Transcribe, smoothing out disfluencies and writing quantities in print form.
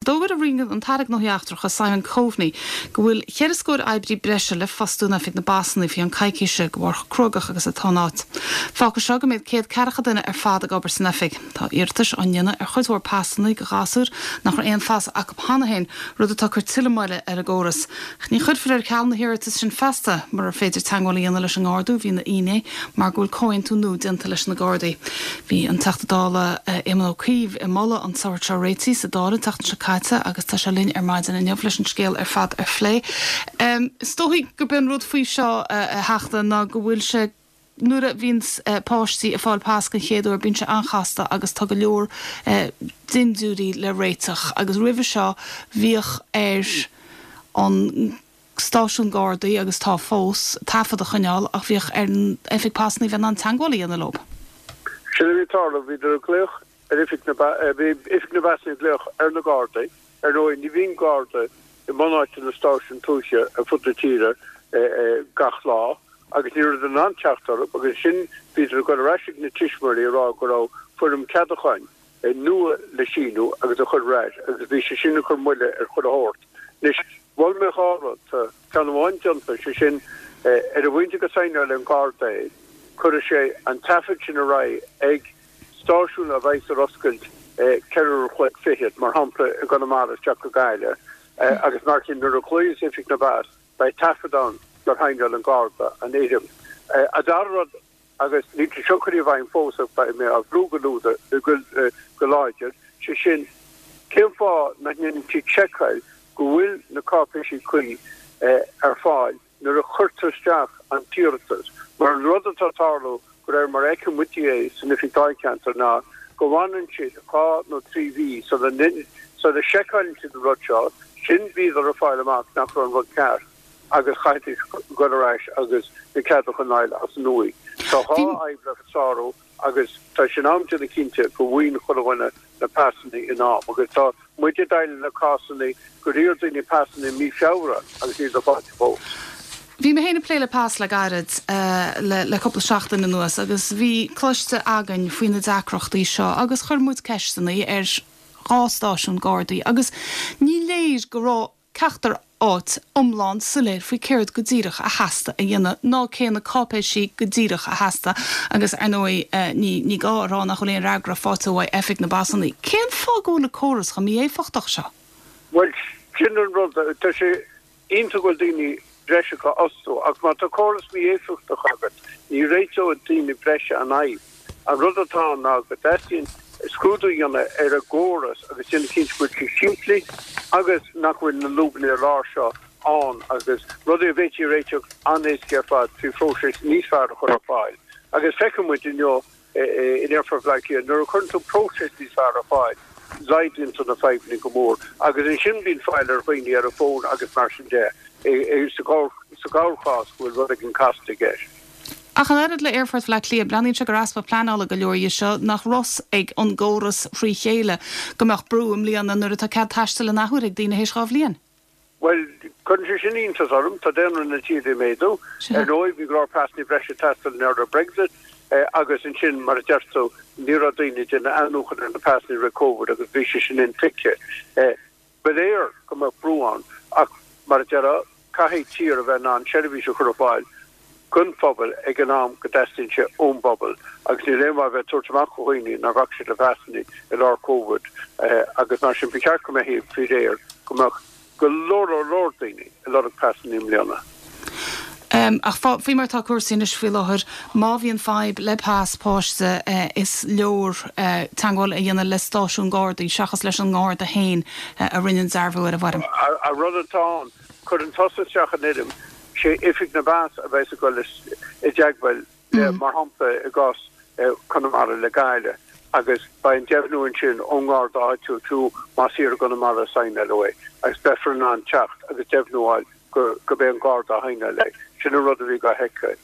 D'fhógair an tAire Gnóthaí Eachtracha Simon Coveney go bhfuil cheithre scór oibrí breise le fostú in Oifig na bPasanna faoi cheann coicíse de bharr chomh cruógach agus atá an áit. Fágfaidh seo go mbeidh 140 duine ar fad ag obair san oifig. Tá iarratais á ndéanamh ar chuid mhór pasanna do ghasúir nach raibh aon phas acu cheana féin, rud atá ag cur tuilleadh moille ar an gcóras. Ach ní chuirfear ar ceal na hiarratais sin feasta murar féidir teagmháil a dhéanamh leis an nGarda a bhí ina fhinné mar go bhfuil comhaontú nua déanta leis na Gardaí. Bhí an Teachta Dála Éamon Ó Cuív ag moladh an sórt seo réitigh sa Dáil an tseachtain seo caite agus tá sé linn ar maidin inniu leis an scéal ar fad a phlé. Is dóigh gurb é an rud faoi seo, a Theachta, ná go bhfuil sé, nuair a bhíonns páistí ag fáil pas den chéad uair, bíonn sé an-chasta agus tá go leor dindiúirí le réiteach agus roimhe seo bhíodh ar an stáisiún Gardaí, agus tá fós, taifead a choinneáil ach bhíodh ar an Oifig Pasanna a bheith in ann teagmháil a dhéanamh leo. Sin a bhí ag tarlú, bhíodar ag glaoch ar Oifig na, bhí Oifig na bPasanna ag glaoch ar na Gardaí. Ar ndóigh, ní bhíonn Garda i mbunáite na stáisiún tuaithe ar fud na tíre gach lá agus ní rabhadar in ann teacht orthu agus ansin bhíodar ag dul ar ais ag na tuismitheoirí ag rá go raibh foirm ceadúcháin nua le síniú agus a chur ar ais agus bhí sé sin ag cur moille ar chuile shórt. Anois, mhol mé dhá rud, tá ceann amháin déanta, sé sin, ar an bpointe go saighneálann an Garda é, cuirfidh sé an taifead sin ar aghaidh ag stáisiún a bheidhs ar oscailt ceithre uair a chloig fichead, mar shampla i gConamara isteach go Gaillimh, agus mar sin nuair a ghlaoas Oifig na bPas beidh taifead ann gur shaighneáil an Garda an fhoirm. An dara rud. Agus níl sé seo curtha i bhfeidhm fós ach beidh mé á bhrú go go láidir, sé sin, cén fáth nach ndéanann siad seiceáil go bhfuil na cáipéisí cuí ar fáil nuair a chuirtear isteach an t-iarratas? Mar an rud atá ag tarlú, de réir mar a fheiceann muide é san oifig dáilcheantair, ná go bhfanann siad dhá nó trí mhí sula sula seiceáileann siad an rud seo, sin bhíodar ag fáil amach nach raibh an rud ceart. agus chaithfidís dul ar ais agus na ceadúcháin a fháil as an nua. Tá dhá fhadhb le sárú agus tá sé in am déanamh cinnte go bhfaigheann chuile dhuine na pasanna in am agus tá muid ag déileáil le cásanna gur iarr daoine pasanna i mí Feabhra agus níl siad faighte fós. Bhí mé féin ag plé le pas le gairid, le cúpla seachtain anuas agus bhí cloiste againn faoi na deacrachtaí seo agus chuir muid ceisteanna ar dhá stáisiún Gardaí agus ní léir go raibh ceachtar áit iomlán soiléir faoi céard go díreach a theastaigh a dhéanamh ná cé na cáipéisí go díreach a theastaigh agus ar ndóigh ní ní gá a rá nach bhfuil aon fhreagra faighte uaidh Oifig na bPasanna. Cén fáth go bhfuil an córas chomh mí-éifeachtach seo? Bhuel, sin an rud, tá sé iontach go bhfuil daoine breise á bhfostú ach má tá córas mí-éifeachtach agat ní réiteoidh daoine breise an fhadhb. An rud atá ann ná go dteastaíonn scrúdú a dhéanamh ar an gcóras agus déanamh cinnte go bhfuil sé simplí agus nach bhfuil na lúbanna ar lár seo ann agus rudaí a bhféadfaí a réiteach an-éasca ar fad trí phróiseas níos fearr a chur ar fáil. Agus feiceann muid inniu in Aerfort Bhaile Átha Cliath nuair a chuireann tú próiseas níos fearr ar fáil, laghdaíonn tú na fadhbanna go mór agus ansin bíonn fáil ar dhaoine ar an bhfón agus mar sin de sa gcorrchás go bhfuil rud éigin casta i gceist. Ach an oiread le Aerfort Bhaile Átha Cliath, breathnaíonn sé gur easpa pleanála go leor dhe seo, nach raibh fhios ag an gcóras thrí chéile go mbeadh brú i mbliana nuair atá cead taistil in athuair ag daoine théis dhá bhliain. Bhuel, cuireann sé sin iontas orm. Tá daonra na tíre ag méadú. Ar ndóigh, bhí go leor pasanna breise ag teastáil i ngeall ar Brexit agus ansin, mar a deir tú, ní raibh daoine ag déanamh athnuachan ar na pasanna roimh Covid agus bhí sé sin intuigthe. Ba léir go mbeadh brú ann ach, mar a déarfá, caithfidh tír a bheith in ann seirbhís a chur ar fáil don phobal ag an am go dteastaíonn sé ón bpobal agus níl aon mhaith a bheith ag tabhairt amach do dhaoine nach rachaidh siad le pasanna i lár Covid agus mar sin ba cheart go mbeifí faoi réir go mbeadh go leor leor leor daoine ag lorg pasanna i mbliana. Ach faoi mar atá cúrsaí anois faoi láthair, má bhíonn fadhb le pas páiste is leor teagmháil a dhéanamh le stáisiún Gardaí seachas leis an nGarda féin a rinne an dearbhú ar an bhfoirm. An rud atá ann, cuireann tusa isteach an fhoirm, sé Oifig na bPas a bheas ag dul i dteagmháil le, mar shampla i gcás Conamara le Gaillimh, agus beidh an deimhniú ansin ón nGarda áitiúil fiú más thiar i gConamara a saighneáladh é, agus beifear in ann teacht agus deimhniú a fháil gurb é an Garda a shaighneáil é. Sin an rud a bhí dhá sheiceáil.